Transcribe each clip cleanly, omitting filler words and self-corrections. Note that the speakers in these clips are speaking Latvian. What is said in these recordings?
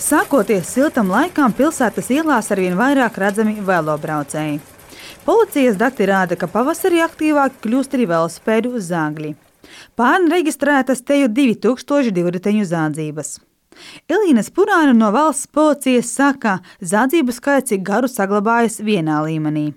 Sākoties siltam laikam, pilsētas ielās arvien vairāk redzami velobraucēji. Policijas dati rāda, ka pavasarī aktīvāk kļūst arī velosipēdu zāgļi. Pērn reģistrētas te jau 2000 riteņu zādzības. Elīna Spurāna no valsts policijas saka, zādzību skaits ik garu saglabājas vienā līmenī.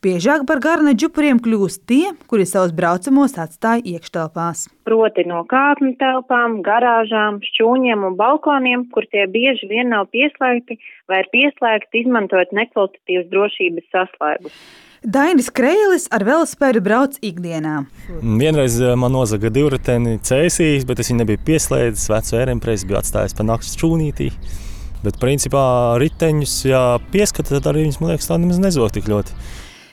Biežāk par garna džupuriem kļūst tie, kuri savus braucamos atstāja iekštelpās. Proti no kāpņu telpām, garāžām, šķūņiem un balkoniem, kur tie bieži vien nav pieslēgti vai ir pieslēgti izmantojot nekvalitatīvas drošības saslēgus. Dainis Kreilis ar velosipēdu brauc ikdienā. Vienreiz man nozaga divriteni cēsīs, bet es viņu nebiju pieslēdzis, vecu ērempresi biju atstājis pa nakts šķūnītī. Bet principā riteņus, ja pieskata, tad arī viņus, man liekas, tā nemaz nezog tik ļoti.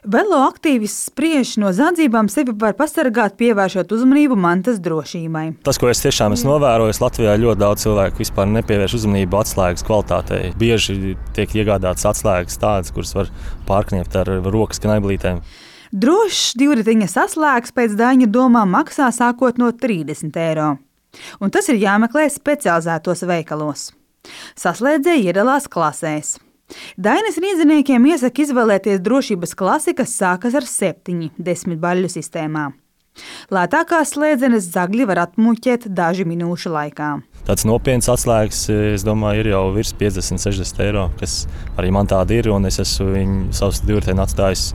Velo aktīvists spriež no zādzībām sevi var pasargāt, pievēršot uzmanību mantas drošībai. Tas, ko es tiešām esmu novērojis, Latvijā ļoti daudz cilvēku vispār nepievērš uzmanību atslēgas kvalitātei. Bieži tiek iegādātas atslēgas tādas, kuras var pārkniept ar rokas knaiblītēm. Drošs divriteņa saslēgs pēc Daņa domām maksā sākot no 30 €. Un tas ir jāmeklē specializētos veikalos. Saslēdzēji iedalās klasēs. Dainis rīdziniekiem iesaka izvēlēties drošības klasi, kas sākas ar 7, 10 baļļu sistēmā. Lētākās slēdzenes zagļi var atmuļķēt dažu minūšu laikā. Tāds nopietns atslēgas, es domāju, ir jau virs 50-60 €, kas arī man tāda ir, un es esmu viņu savus divriteni atstājis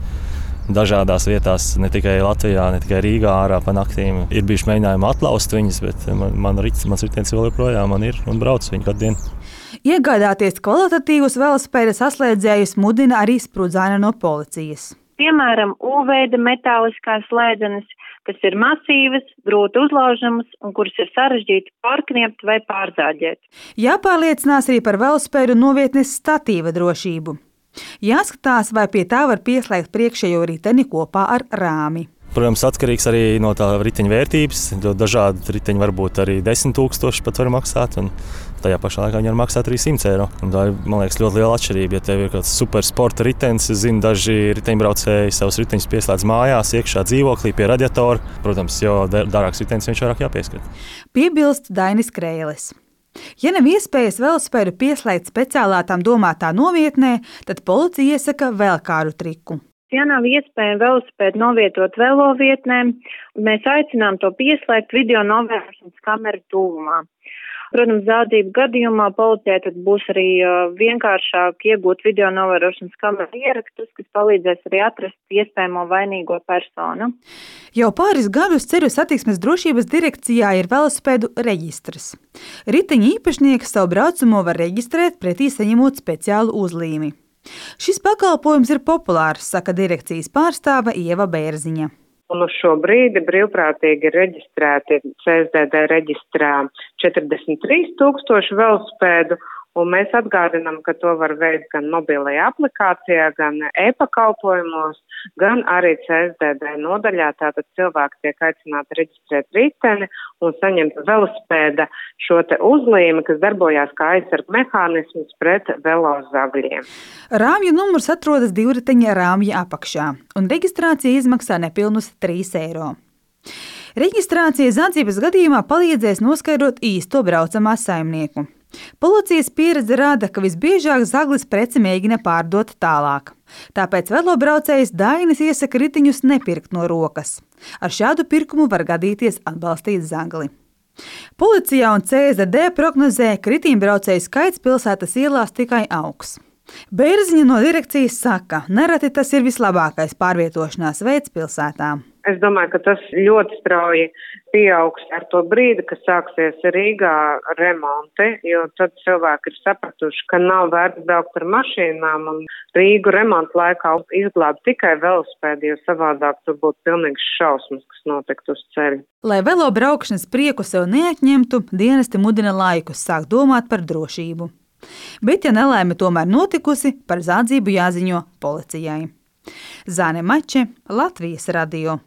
dažādās vietās, ne tikai Latvijā, ne tikai Rīgā ārā pa naktīm. Ir bijuši mēģinājumi atlaust viņas, bet mans ritenis vēl joprojām man ir un brauc viņu katru dienu. Iegādāties kvalitatīvus velosipēda saslēdzējus mudina arī Sprudzāna no policijas. Piemēram, U-veida metāliskās slēdzenes, kas ir masīvas, grūti uzlaužamas un kuras ir sarežģīti pārkniept vai pārzāģēt. Jāpārliecinās arī par velosipēdu novietnes statīva drošību. Jāskatās, vai pie tā var pieslēgt priekšējo riteni kopā ar rāmi. Protams, atkarīgs arī no tā riteņa vērtības. Dažādi riteņi var būt arī 10 000 pat var maksāt, un tajā pašā laikā viņi var maksāt arī 100 €. Un tā ir, man liekas, ļoti liela atšķirība. Ja tev ir kāds supersporta ritenis, es zinu, daži riteņbraucēji savus riteņus pieslēdz mājās, iekšā dzīvoklī pie radiatora. Protams, jo dārāks ritenis viņš vairāk jāpieskat. Piebilst Dainis Kreilis. Ja nav iespējas velosipēdu pieslēgt speciālātām domātā novietnē, tad policija iesaka vēl kādu triku. Ja nav iespēja velosipēdu novietot velovietnēm, mēs aicinām to pieslēgt video novērošanas kameru tuvumā. Protams, zādzību gadījumā policijai tad būs arī vienkāršāk iegūt video novērošanas kameru ierakstus, kas palīdzēs arī atrast iespējamo vainīgo personu. Jau pāris gadus Ceļu satiksmes drošības direkcijā ir velosipēdu reģistrs. Riteņa īpašnieks savu braucamo var reģistrēt pretī saņemot speciālu uzlīmi. Šis pakalpojums ir populārs, saka direkcijas pārstāve Ieva Bērziņa. Un uz šo brīdi brīvprātīgi ir reģistrēti CSDD reģistrā 43 000 velosipēdu, un mēs atgādinām, ka to var veikt gan mobilajā aplikācijā, gan e-pakalpojumos, gan arī CSDD nodaļā. Tātad cilvēki tiek aicināti reģistrēt riteni un saņemt velosipēda šo te uzlīmi, kas darbojās kā aizsarg mehānisms pret velozagļiem. Rāmju numurs atrodas divriteņa rāmja apakšā, un reģistrācija izmaksā nepilnus 3 €. Reģistrācija zādzības gadījumā palīdzēs noskaidrot īsto braucamā saimnieku. Policijas pieredze rāda, ka visbiežāk zaglis preci mēģina pārdot tālāk. Tāpēc velobraucējs Dainis iesaka riteņus nepirkt no rokas. Ar šādu pirkumu var gadīties atbalstīt zagli. Policijā un CSDD prognozē, ka riteņbraucēju skaits pilsētas ielās tikai augs. Bērziņa no direkcijas saka, nereti tas ir vislabākais pārvietošanās veids pilsētā. Es domāju, ka tas ļoti strauji pieaugs ar to brīdi, kad sāksies Rīgā remonti, jo tad cilvēki ir sapratuši, ka nav vērts braukt ar mašīnām un Rīgu remontu laikā izglābt tikai velosipēdi, jo savādāk tur būtu pilnīgs šausmas, kas notiktu uz ceļa. Lai velo braukšanas prieku sev neatņemtu, dienesti mudina laikus sākt domāt par drošību. Bet, ja nelaime tomēr notikusi, par zādzību jāziņo policijai. Zāne Mače, Latvijas radio.